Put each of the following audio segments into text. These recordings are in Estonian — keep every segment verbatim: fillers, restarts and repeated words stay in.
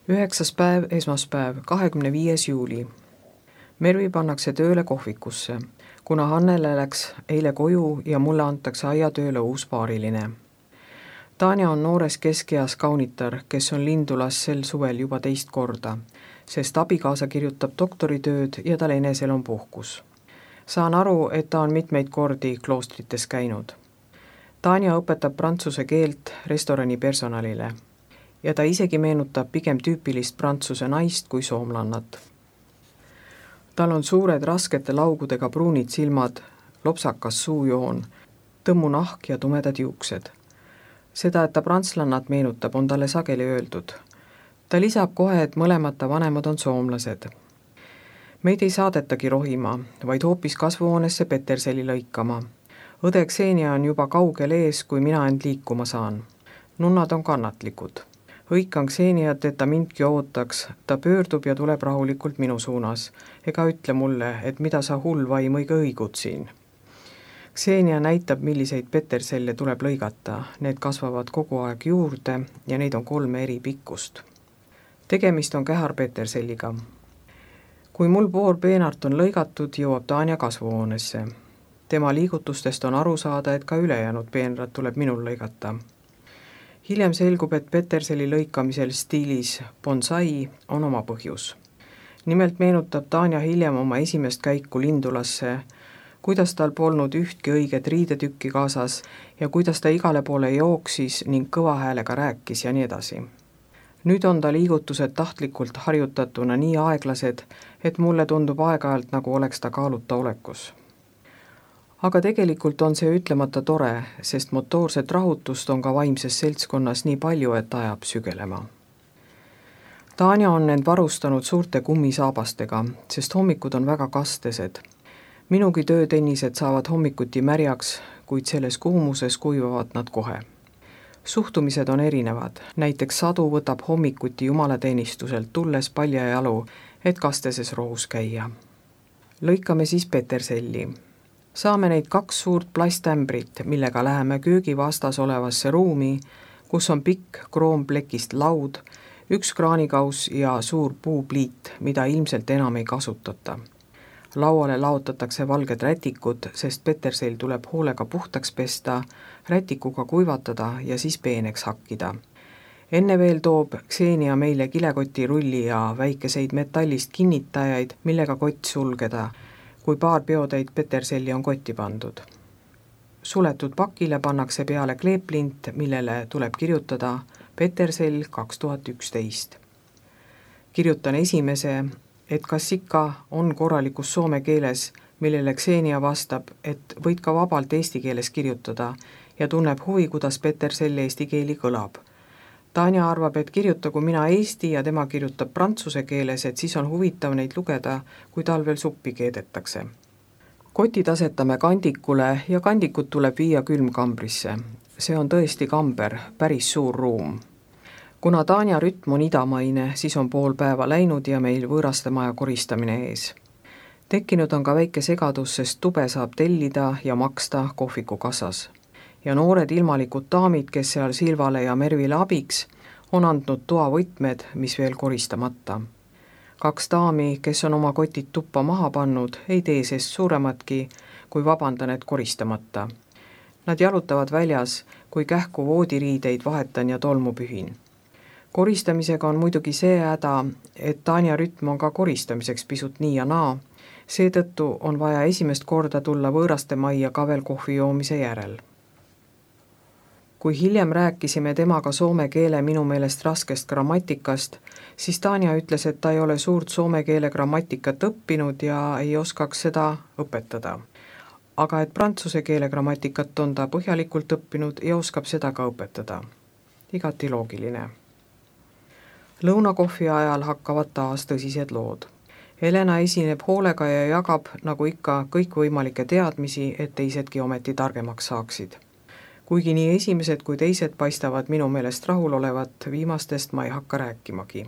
üheksas päev, esmaspäev, kahekümne viies juuli. Mervi pannakse tööle kohvikusse, kuna Hannele läks eile koju ja mulle antakse aiatööle uus paariline. Tanja on noores keskeas kaunitar, kes on Lindulas sel suvel juba teist korda, sest abikaasa kirjutab doktoritööd ja tal enesel on puhkus. Saan aru, et ta on mitmeid kordi kloostrites käinud. Tanja õpetab prantsuse keelt restorani personalile ja ta isegi meenutab pigem tüüpilist prantsuse naist kui soomlannat. Tal on suured raskete laugudega pruunid silmad, lopsakas suujoon, tõmmu nahk ja tumedad juuksed. Seda, et ta prantslannat meenutab, on talle sageli öeldud. Ta lisab kohe, et mõlemad ta vanemad on soomlased. Meid ei saadetagi rohima, vaid hoopis kasvuhoonesse Peterseli lõikama. Õde Ksenia on juba kaugel ees, kui mina end liikuma saan. Nunnad on kannatlikud. Hõikan Kseniat, et ta mindki ootaks, ta pöördub ja tuleb rahulikult minu suunas, ega ütle mulle, et mida sa hull vaim õige õigud siin. Ksenia näitab, milliseid peterselle tuleb lõigata, need kasvavad kogu aeg juurde ja neid on kolme eri pikkust. Tegemist on käharpeterselliga. Kui mul pool peenart on lõigatud, jõuab Tanja kasvuhoonesse. Tema liigutustest on aru saada, et ka ülejäänud peenrad tuleb minul lõigata. Hiljem selgub, et peterseli lõikamisel stiilis bonsai on oma põhjus. Nimelt meenutab Tanja hiljem oma esimest käiku Lindulasse, kuidas tal polnud ühtki õiget riidetükki kaasas ja kuidas ta igale poole jooksis ning kõva häälega rääkis ja nii edasi. Nüüd on ta liigutused tahtlikult harjutatuna nii aeglased, et mulle tundub aeg-ajalt, nagu oleks ta kaaluta olekus. Aga tegelikult on see ütlemata tore, sest motoorset rahutust on ka vaimses seltskonnas nii palju, et ajab sügelema. Tanja on end varustanud suurte kummisaabastega, sest hommikud on väga kastesed. Minugi töötennised saavad hommikuti märjaks, kuid selles kuumuses kuivavad nad kohe. Suhtumised on erinevad, näiteks Sadu võtab hommikuti jumalateenistuselt tulles palja jalu, et kasteses rohus käia. Lõikame siis peterselli. Saame neid kaks suurt plasttämbrit, millega läheme köögi vastas olevasse ruumi, kus on pikk kroomplekist laud, üks kraanikaus ja suur puupliit, mida ilmselt enam ei kasutata. Lauale laotatakse valged rätikud, sest petersell tuleb hoolega puhtaks pesta, rätikuga kuivatada ja siis peeneks hakkida. Enne veel toob Ksenia meile kilekoti rulli ja väikeseid metallist kinnitajaid, millega kott sulgeda, kui paar peotäit peterselli on kotti pandud. Suletud pakile pannakse peale kleeplint, millele tuleb kirjutada Petersell kaks tuhat üksteist. Kirjutan esimese, et kas ikka on korralikus soome keeles, millele Ksenia vastab, et võid ka vabalt eesti keeles kirjutada ja tunneb huvi, kuidas Petersell eesti keeli kõlab. Tanja arvab, et kirjutagu mina eesti ja tema kirjutab prantsuse keeles, et siis on huvitav neid lugeda, kui tal veel suppi keedetakse. Kotid asetame kandikule ja kandikut tuleb viia külmkambrisse. See on tõesti kamber, päris suur ruum. Kuna Tanja rütm on idamaine, siis on pool päeva läinud ja meil võõraste maja koristamine ees. Tekkinud on ka väike segadus, sest tube saab tellida ja maksta kohviku kassas. Ja noored ilmalikud daamid, kes seal Silvale ja Mervile abiks, on andnud toa võtmed, mis veel koristamata. Kaks daami, kes on oma kotid tuppa maha pannud, ei tee sest suurematki, kui vabandan, et koristamata. Nad jalutavad väljas, kui kähku voodiriideid vahetan ja tolmu pühin. Koristamisega on muidugi see häda, et Tanja rütm on ka koristamiseks pisut nii ja naa, seetõttu on vaja esimest korda tulla võõraste majja ka veel kohvi joomise järel. Kui hiljem rääkisime temaga soome keele minu meelest raskest grammatikast, siis Tanja ütles, et ta ei ole suurt soome keele grammatikat õppinud ja ei oskaks seda õpetada. Aga et prantsuse keele grammatikat on ta põhjalikult õppinud ja oskab seda ka õpetada. Igati loogiline. Lõunakohvi ajal hakkavad taas tõsised lood. Helena esineb hoolega ja jagab, nagu ikka, kõikvõimalikke teadmisi, et teisedki ometi targemaks saaksid. Kuigi nii esimesed kui teised paistavad minu meelest rahul olevat, viimastest ma ei hakka rääkimagi.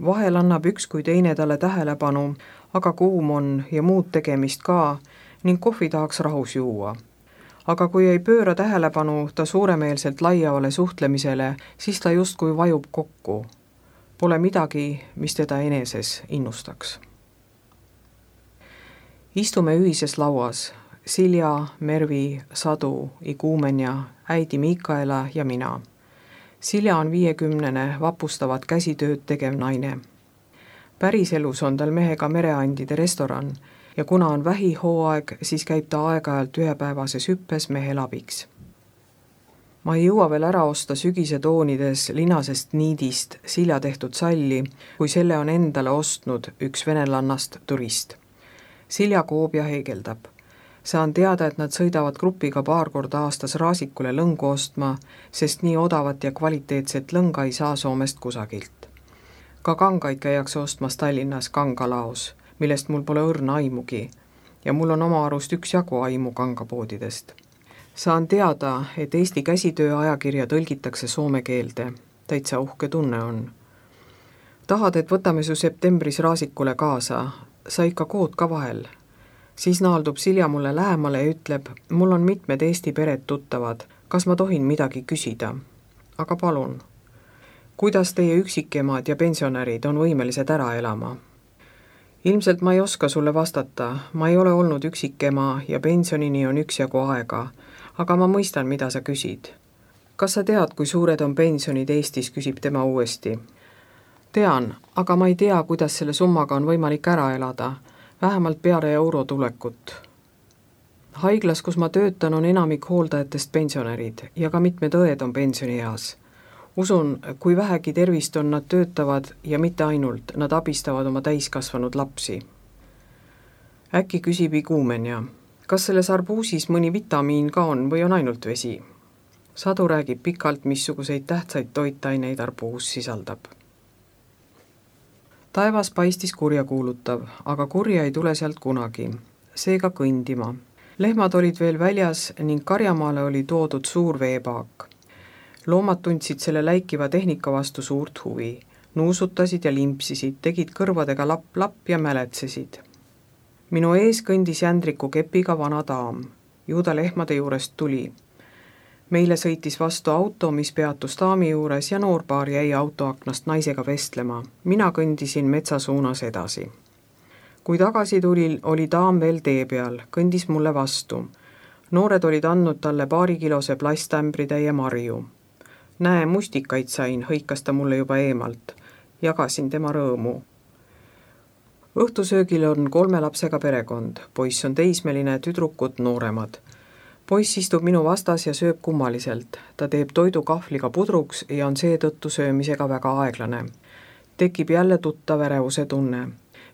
Vahel annab üks kui teine talle tähelepanu, aga kuum on ja muud tegemist ka, ning kohvi tahaks rahus juua. Aga kui ei pööra tähelepanu ta suuremeelselt laiavale suhtlemisele, siis ta justkui vajub kokku. Pole midagi, mis teda eneses innustaks. Istume ühises lauas, Silja, Mervi, Sadu, Iguumenja, äidi Miikaela ja mina. Silja on viiekümnene vapustavat käsitööd tegev naine. Päriselus on tal mehega mereandide restoran ja kuna on vähihooaeg, siis käib ta aeg-ajalt ühepäevases hüppes mehel abiks. Ma ei jõua veel ära osta sügise toonides linasest niidist Silja tehtud salli, kui selle on endale ostnud üks venelannast turist. Silja koob ja heegeldab. Saan teada, et nad sõidavad grupiga paar korda aastas Raasikule lõngu ostma, sest nii odavat ja kvaliteetset lõnga ei saa Soomest kusagilt. Ka kangaid käiakse ostmas Tallinnas kangalaos, millest mul pole õrna aimugi ja mul on oma arust üks jagu aimu kangapoodidest. Saan teada, et Eesti käsitöö ajakirja tõlgitakse soome keelde. Täitsa uhke tunne on. Tahad, et võtame su septembris Raasikule kaasa, sa ikka kood ka vahel. Siis naaldub Silja mulle lähemale ja ütleb, mul on mitmed Eesti pered tuttavad, kas ma tohin midagi küsida? Aga palun, kuidas teie üksikemad ja pensionärid on võimelised ära elama? Ilmselt ma ei oska sulle vastata, ma ei ole olnud üksikema ja pensionini on üksjagu aega, aga ma mõistan, mida sa küsid. Kas sa tead, kui suured on pensionid Eestis, küsib tema uuesti. Tean, aga ma ei tea, kuidas selle summaga on võimalik ära elada, vähemalt peale euro tulekut. Haiglas, kus ma töötan, on enamik hooldajatest pensionärid ja ka mitmed õed on pensionieas. Usun, kui vähegi tervist on, nad töötavad ja mitte ainult, nad abistavad oma täiskasvanud lapsi. Äkki küsib Iguumenja, kas selles arbuusis mõni vitamiin ka on või on ainult vesi? Sadu räägib pikalt, missuguseid tähtsaid toitaineid arbuus sisaldab. Taevas paistis kurjakuulutav, aga kurja ei tule sealt kunagi. Seega kõndima. Lehmad olid veel väljas ning karjamaale oli toodud suur veepaak. Loomad tundsid selle läikiva tehnika vastu suurt huvi. Nuusutasid ja limpsisid, tegid kõrvadega lapp-lapp ja mäletsesid. Minu ees kõndis jändriku kepiga vana daam. Ju ta lehmade juurest tuli. Meile sõitis vastu auto, mis peatus daami juures ja noorpaar jäi autoaknast naisega vestlema. Mina kõndisin metsa suunas edasi. Kui tagasi tulil, oli daam veel tee peal, kõndis mulle vastu. Noored olid andnud talle paarikilose plastämbritäie marju. Näe, mustikaid sain, hõikas ta mulle juba eemalt. Jagasin tema rõõmu. Õhtusöögil on kolme lapsega perekond. Poiss on teismeline, tüdrukud nooremad. Poiss istub minu vastas ja sööb kummaliselt. Ta teeb toidu kahvliga pudruks ja on seetõttu söömisega väga aeglane. Tekib jälle tuttav ärevuse tunne,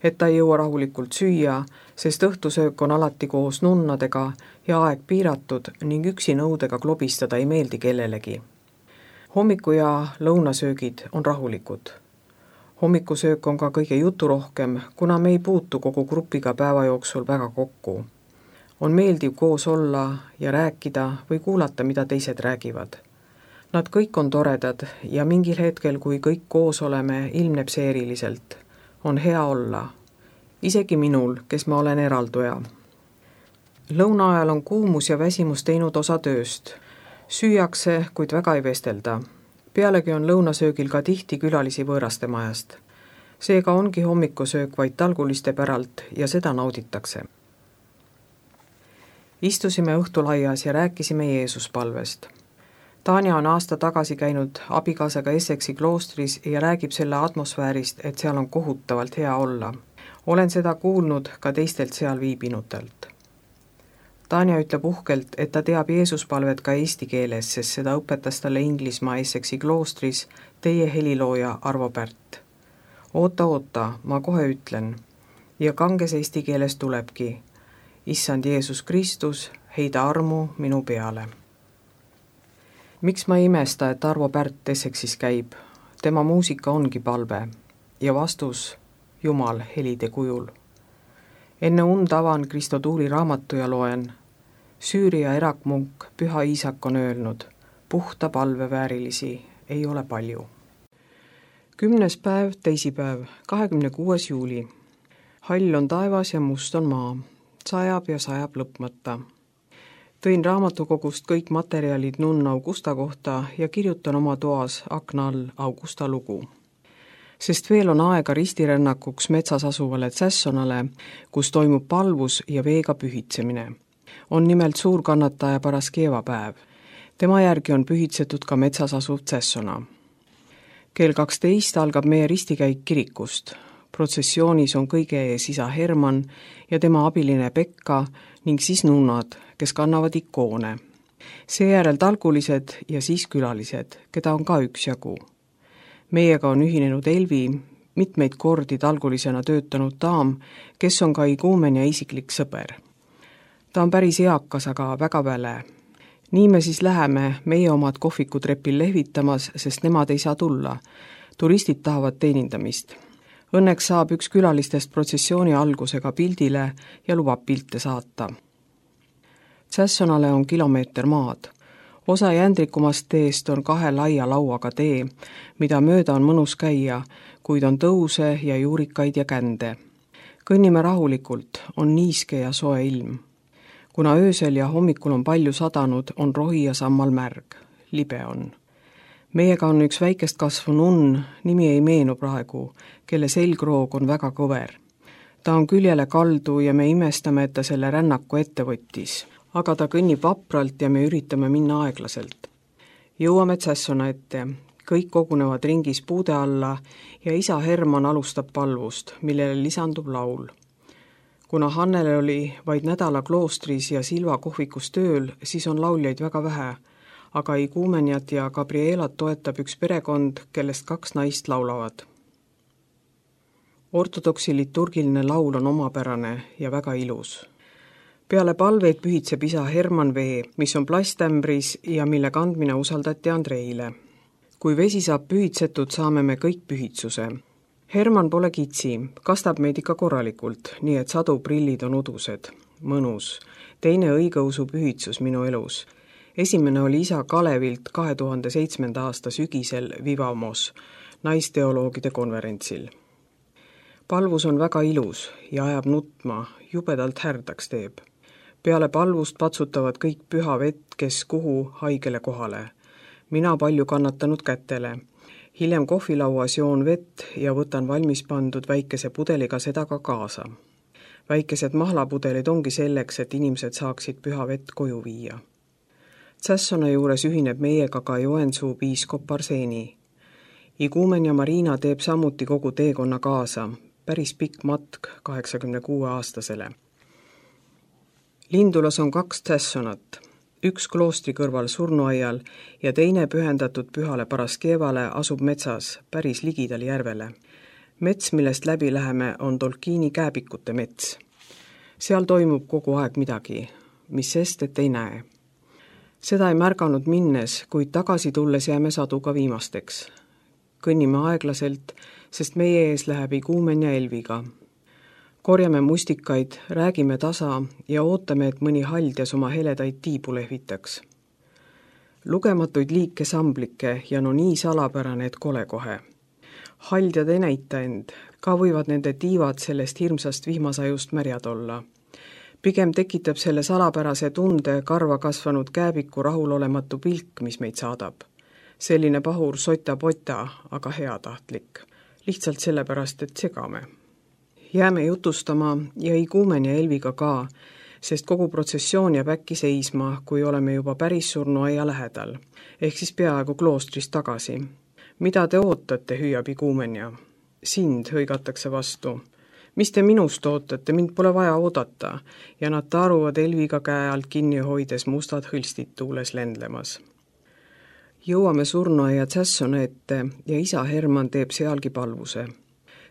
et ta ei jõua rahulikult süüa, sest õhtusöök on alati koos nunnadega ja aeg piiratud ning üksi nõudega klobistada ei meeldi kellelegi. Hommiku ja lõunasöögid on rahulikud. Hommikusöök on ka kõige juturohkem, kuna me ei puutu kogu grupiga päeva jooksul väga kokku. On meeldiv koos olla ja rääkida või kuulata, mida teised räägivad. Nad kõik on toredad ja mingil hetkel, kui kõik koos oleme, ilmneb see eriliselt. On hea olla. Isegi minul, kes ma olen eralduja. Lõuna ajal on kuumus ja väsimus teinud osa tööst. Süüakse, kuid väga ei vestelda. Pealegi on lõunasöögil ka tihti külalisi võõraste majast. Seega ongi hommikusöök vaid talguliste päralt ja seda nauditakse. Istusime õhtulaias ja rääkisime Jeesuspalvest. Tanja on aasta tagasi käinud abikaasaga Essexi kloostris ja räägib selle atmosfäärist, et seal on kohutavalt hea olla. Olen seda kuulnud ka teistelt seal viibinutelt. Tanja ütleb uhkelt, et ta teab Jeesuspalvet ka eesti keeles, sest seda õpetas talle Inglismaa Essexi kloostris teie helilooja Arvo Pärt. Oota, oota, ma kohe ütlen. Ja kanges eesti keeles tulebki. Issand Jeesus Kristus, heida armu minu peale. Miks ma ei imesta, et Arvo Pärt Essexis käib? Tema muusika ongi palve ja vastus Jumal helide kujul. Enne und avan Kristo Tuuli raamatu ja loen. Süüria erakmunk Püha Iisak on öelnud, puhta palve väärilisi ei ole palju. Kümnes päev, teisipäev, kahekümne kuues juuli. Hall on taevas ja must on maa. Sajab ja sajab lõpmata. Tõin raamatukogust kõik materjalid nunn Augusta kohta ja kirjutan oma toas akna all Augusta lugu. sest veel on aega ristirännakuks metsas asuvale Tsässonale, kus toimub palvus ja veega pühitsemine. On nimelt suur kannataja Paraskeva päev. Tema järgi on pühitsetud ka metsas asuv Tsässona. kell kaksteist algab meie ristikäik kirikust. Protsessioonis on kõige ees isa Herman ja tema abiline Pekka ning siis nunnad, kes kannavad ikoone. Seejärel talgulised ja siis külalised, keda on ka üksjagu. Meiega on ühinenud Elvi, mitmeid kordi talgulisena töötanud daam, kes on ka iguumen ja isiklik sõber. Ta on päris eakas, aga väga väle. Nii me siis läheme meie omad kohvikutrepil lehvitamas, sest nemad ei saa tulla. Turistid tahavad teenindamist. Õnneks saab üks külalistest protsessiooni algusega pildile ja lubab pilte saata. Tsässonale on kilomeeter maad. Osa jändrikumast teest on kahe laia lauaga tee, mida mööda on mõnus käia, kuid on tõuse ja juurikaid ja kände. Kõnnime rahulikult, on niiske ja soe ilm. Kuna öösel ja hommikul on palju sadanud, on rohi ja sammal märg. Libe on. Meiega on üks väikest kasvu nunn, nimi ei meenu praegu, kelle selgroog on väga kõver. Ta on küljele kaldu ja me imestame, et ta selle rännaku ette võttis. Aga ta kõnnib vapralt ja me üritame minna aeglaselt. Jõuame Tsässona ette. Kõik kogunevad ringis puude alla ja isa Herman alustab palvust, millele lisandub laul. Kuna Hannele oli vaid nädala kloostris ja Silva kohvikus tööl, siis on lauljaid väga vähe, aga iguumenjat ja Gabrielat toetab üks perekond, kellest kaks naist laulavad. Ortodoksi liturgiline laul on omapärane ja väga ilus. Peale palveid pühitseb isa Herman vee, mis on plasttämbris ja mille kandmine usaldati Andreile. Kui vesi saab pühitsetud, saame me kõik pühitsuse. Herman pole kitsi, kastab meid ikka korralikult, nii et sadu prillid on udused. Mõnus. Teine õigeusu pühitsus minu elus. Esimene oli isa Kalevilt kahe tuhande seitsmenda aasta sügisel Vivamos, naisteoloogide konverentsil. Palvus on väga ilus ja ajab nutma, jubedalt härdaks teeb. Peale palvust patsutavad kõik püha vett, kes kuhu haigele kohale. Mina palju kannatanud kätele. Hiljem kohvilauas joon vett ja võtan valmis pandud väikese pudeliga seda ka kaasa. Väikesed mahlapudelid ongi selleks, et inimesed saaksid püha vett koju viia. Tsässona juures ühineb meiega ka Joensuu piiskop Arseeni. Iguumen ja Marina teeb samuti kogu teekonna kaasa, päris pikk matk kaheksakümne kuue aastasele. Lindulas on kaks Tsässonat, üks kloostri kõrval surnuaial ja teine pühendatud pühale Paraskevale asub metsas, päris ligidal järvele. Mets, millest läbi läheme, on Tolkiini kääbikute mets. Seal toimub kogu aeg midagi, mis sest, et ei näe. Seda ei märganud minnes, kuid tagasi tulles jääme saduga viimasteks. Kõnnime aeglaselt, sest meie ees läheb iguumen ja Elviga. Korjame mustikaid, räägime tasa ja ootame, et mõni haldjas oma heledaid tiibu lehvitaks. Lugematuid liike samblikke ja no nii salapärane, et kole kohe. Haldjad ei näita end, ka võivad nende tiivad sellest hirmsast vihmasajust märjad olla. Pigem tekitab selle salapärase tunde karva kasvanud kääbiku rahulolematu pilk, mis meid saadab. Selline pahur sota-pota, aga heatahtlik. Lihtsalt sellepärast, et segame. Jääme jutustama ja iguumen ja Elviga ka, sest kogu protsessioon jääb äkki seisma, kui oleme juba päris surnuaia lähedal, ehk siis peaaegu kloostrist tagasi. Mida te ootate, hüüab iguumen ja? Sind hõigatakse vastu. Mis te minust ootate, mind pole vaja oodata, ja nad taruvad Elviga käe alt kinni hoides mustad hõlstid tuules lendlemas. Jõuame surnuaia Tsässona ette ja isa Herman teeb sealgi palvuse.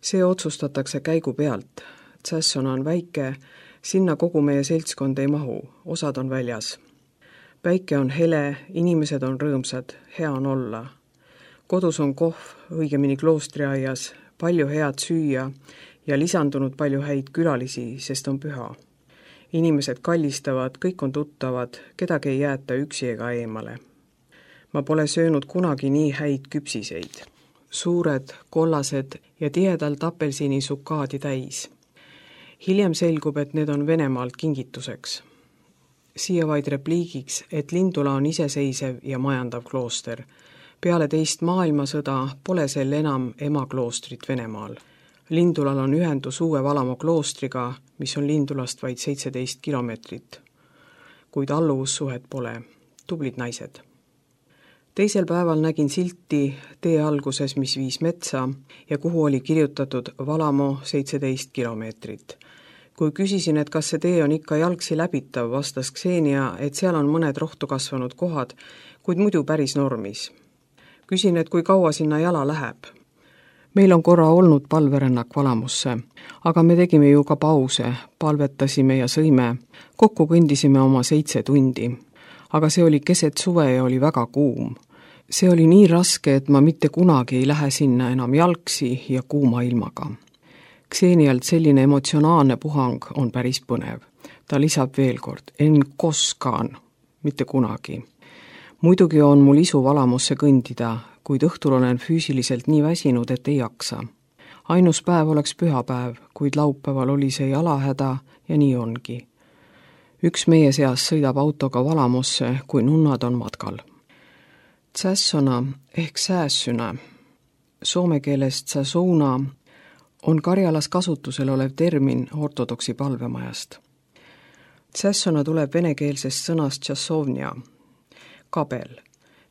See otsustatakse käigu pealt. Tsässona on väike, sinna kogu meie seltskond ei mahu, osad on väljas. Päike on hele, inimesed on rõõmsad, hea on olla. Kodus on kohv, õigemini kloostriaias, palju head süüa ja lisandunud palju häid külalisi, sest on püha. Inimesed kallistavad, kõik on tuttavad, kedagi ei jäeta üksi ega eemale. Ma pole söönud kunagi nii häid küpsiseid. Suured, kollased ja tihedalt apelsini sukaadi täis. Hiljem selgub, et need on Venemaalt kingituseks. Siia vaid repliigiks, et Lindula on iseseisev ja majandav klooster. Peale teist maailmasõda pole sel enam ema kloostrit Venemaal. Lindulal on ühendus Uue Valamo kloostriga, mis on Lindulast vaid seitseteist kilomeetrit. Kuid alluvussuhet pole. Tublid naised. Teisel päeval nägin silti tee alguses, mis viis metsa ja kuhu oli kirjutatud Valamo seitseteist kilomeetrit. Kui küsisin, et kas see tee on ikka jalgsi läbitav, vastas Ksenia, et seal on mõned rohtu kasvanud kohad, kuid muidu päris normis. Küsin, et kui kaua sinna jala läheb. Meil on korra olnud palverännak Valamosse, aga me tegime ju ka pause, palvetasime ja sõime. Kokku kõndisime oma seitse tundi. Aga see oli keset suve ja oli väga kuum. See oli nii raske, et ma mitte kunagi ei lähe sinna enam jalgsi ja kuuma ilmaga. Ksenialt selline emotsionaalne puhang on päris põnev. Ta lisab veel kord, en koskaan, mitte kunagi. Muidugi on mul isu Valamosse kõndida, kuid õhtul olen füüsiliselt nii väsinud, et ei jaksa. Ainus päev oleks pühapäev, kuid laupäeval oli see jalahäda ja nii ongi. Üks meie seas sõidab autoga Valamosse, kui nunnad on matkal. Tsässona ehk säässynä, soome keelest tsäsouna, on Karjalas kasutusel olev termin ortodoksi palvemajast. Tsässona tuleb venekeelsest sõnast tšassovnia, kabel,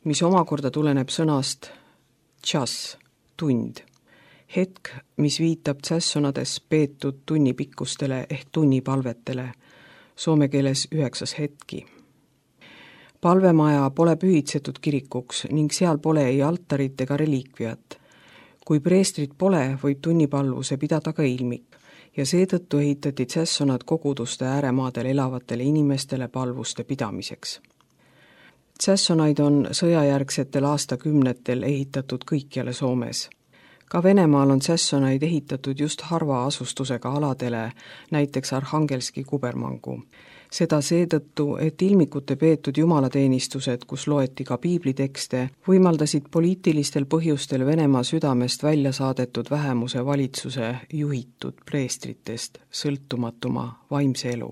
mis omakorda tuleneb sõnast tšass, tund, hetk, mis viitab tsässonades peetud tunnipikkustele ehk tunnipalvetele, soome keeles üheksas hetki. Palvemaja pole pühitsetud kirikuks ning seal pole ei altarit ega reliikviat. Kui preestrit pole, võib tunnipalvuse pidada ka ilmik ja seetõttu ehitati tsässonad koguduste ääremaadel elavatele inimestele palvuste pidamiseks. Tsässonaid on sõjajärgsetel aastakümnetel ehitatud kõikjale Soomes. Ka Venemaal on tsässonaid ehitatud just harva asustusega aladele, näiteks Arhangelski kubermangu. Seda seetõttu, et ilmikute peetud jumalateenistused, kus loeti ka piiblitekste, võimaldasid poliitilistel põhjustel Venemaa südamest välja saadetud vähemuse valitsuse juhitud preestritest sõltumatuma vaimse elu.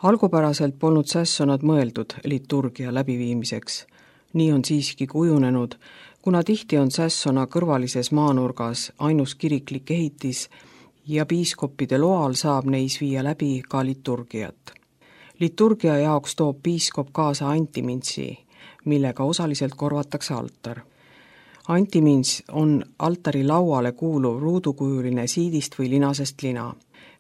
Algupäraselt polnud tsässonad mõeldud liturgia läbiviimiseks. Nii on siiski kujunenud, kuna tihti on tsässona kõrvalises maanurgas ainus kiriklik ehitis ja piiskoppide loal saab neis viia läbi ka liturgiat. Liturgia jaoks toob piiskop kaasa antimintsi, millega osaliselt korvatakse altar. Antimints on altari lauale kuuluv ruudukujuline siidist või linasest lina.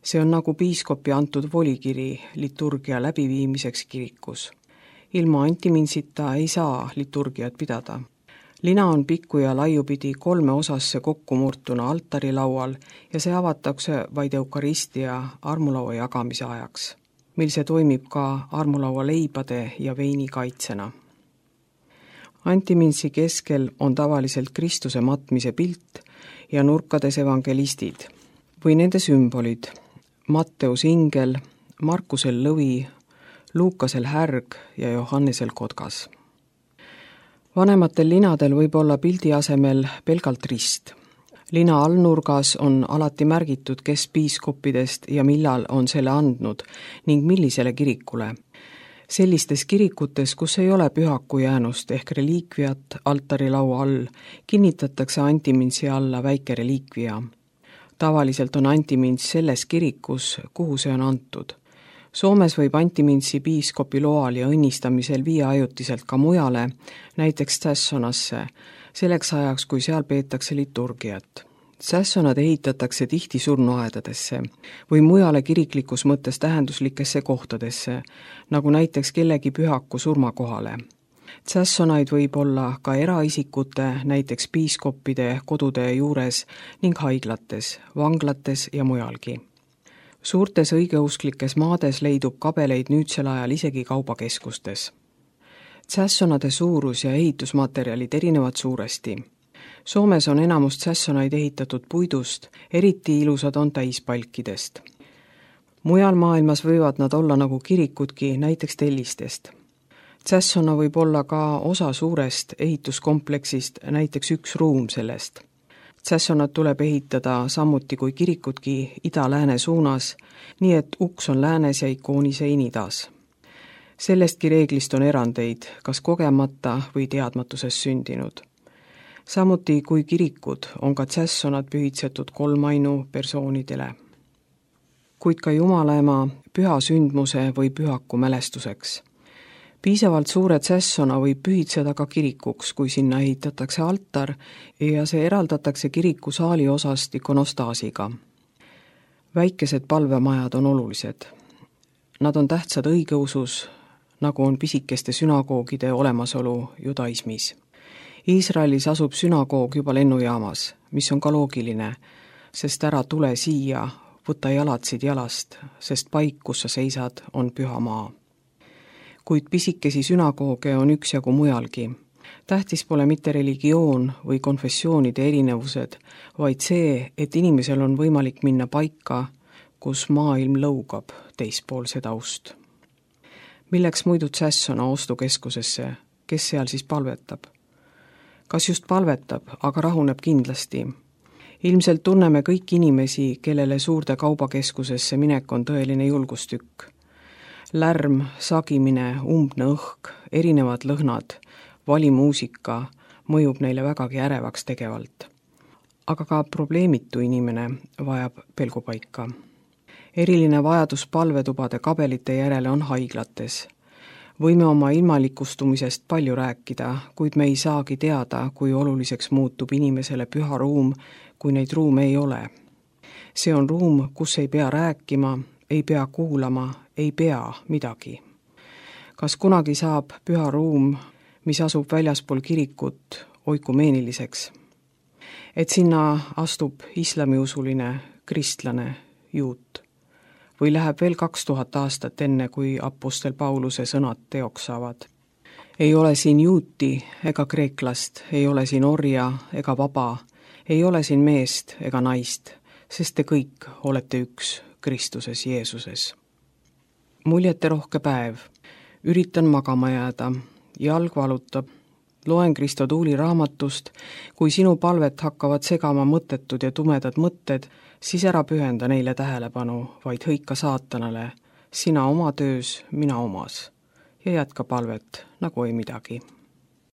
See on nagu piiskopi antud volikiri liturgia läbiviimiseks kirikus. Ilma antimintsita ei saa liturgiat pidada. Lina on pikku ja laiupidi kolme osasse kokkumurtuna altari laual ja see avatakse vaid eukaristia armulaua jagamise ajaks, mil see toimib ka armulaua leibade ja veini kaitsena. Antimintsi keskel on tavaliselt Kristuse matmise pilt ja nurkades evangelistid või nende sümbolid, Matteus ingel, Markusel lõvi, Luukasel härg ja Johannesel kotkas. Vanematel linadel võib olla pildi asemel pelgalt rist. Lina allnurgas on alati märgitud, kes piiskoppidest ja millal on selle andnud ning millisele kirikule. Sellistes kirikutes, kus ei ole pühaku jäänust ehk reliikviat altarilaua all, kinnitatakse antimintsi alla väike reliikvia. Tavaliselt on antimints selles kirikus, kuhu see on antud. Soomes võib antimintsi piiskopi loal ja õnnistamisel viia ajutiselt ka mujale, näiteks tsässonasse, selleks ajaks, kui seal peetakse liturgiat. Tsässonad ehitatakse tihti surnuaedadesse või mujale kiriklikus mõttes tähenduslikesse kohtadesse, nagu näiteks kellegi pühaku surmakohale. Tsässonaid võib olla ka eraisikute, näiteks piiskoppide kodude juures ning haiglates, vanglates ja mujalgi. Suurtes õigeusklikes maades leidub kabeleid nüüdsel ajal isegi kaubakeskustes. Tsässonade suurus ja ehitusmaterjalid erinevad suuresti. Soomes on enamus tsässonaid ehitatud puidust, eriti ilusad on täispalkidest. Mujal maailmas võivad nad olla nagu kirikudki, näiteks tellistest. Tsässona võib olla ka osa suurest ehituskompleksist, näiteks üks ruum sellest. Tsässonad tuleb ehitada samuti kui kirikudki ida-lääne suunas, nii et uks on läänes ja ikooni sein idas. Sellestki reeglist on erandeid, kas kogemata või teadmatuses sündinud. Samuti kui kirikud on ka tsässonad pühitsetud kolmainu persoonidele. Kuid ka Jumala ema püha sündmuse või pühaku mälestuseks. Piisavalt suure tsässona võib pühitseda ka kirikuks, kui sinna ehitatakse altar ja see eraldatakse kiriku saali osast ikonostaasiga. Väikesed palvemajad on olulised. Nad on tähtsad õigeusus, nagu on pisikeste sünagoogide olemasolu judaismis. Iisraelis asub sünagoog juba lennujaamas, mis on ka loogiline, sest ära tule siia, võta jalatsid jalast, sest paik, kus sa seisad, on püha maa. Kuid pisikesi sünagooge on üksjagu mujalgi. Tähtis pole mitte religioon või konfessioonide erinevused, vaid see, et inimesel on võimalik minna paika, kus maailm lõugab teispool seda ust. Milleks muidu tsässona ostukeskusesse, kes seal siis palvetab? Kas just palvetab, aga rahuneb kindlasti. Ilmselt tunneme kõik inimesi, kellele suurde kaubakeskusesse minek on tõeline julgustükk. Lärm, sagimine, umbne õhk, erinevad lõhnad, valimuusika mõjub neile vägagi ärevaks tegevalt. Aga ka probleemitu inimene vajab pelgupaika. Eriline vajadus palvetubade kabelite järele on haiglates. Võime oma ilmalikustumisest palju rääkida, kuid me ei saagi teada, kui oluliseks muutub inimesele püha ruum, kui neid ruume ei ole. See on ruum, kus ei pea rääkima, ei pea kuulama, ei pea midagi. Kas kunagi saab püha ruum, mis asub väljaspool kirikut, oikumeeniliseks? Et sinna astub islamiusuline, kristlane, juut. Või läheb veel kaks tuhat aastat enne, kui apostel Pauluse sõnad teoks saavad. Ei ole siin juuti ega kreeklast, ei ole siin orja ega vaba, ei ole siin meest ega naist, sest te kõik olete üks Kristuses Jeesuses. Muljete rohke päev. Üritan magama jääda. Jalg valutab. Loen Kristo Tuuli raamatust, kui sinu palvet hakkavad segama mõttetud ja tumedad mõtted, siis ära pühenda neile tähelepanu, vaid hõika saatanale, sina oma töös, mina omas, ja jätka palvet nagu ei midagi.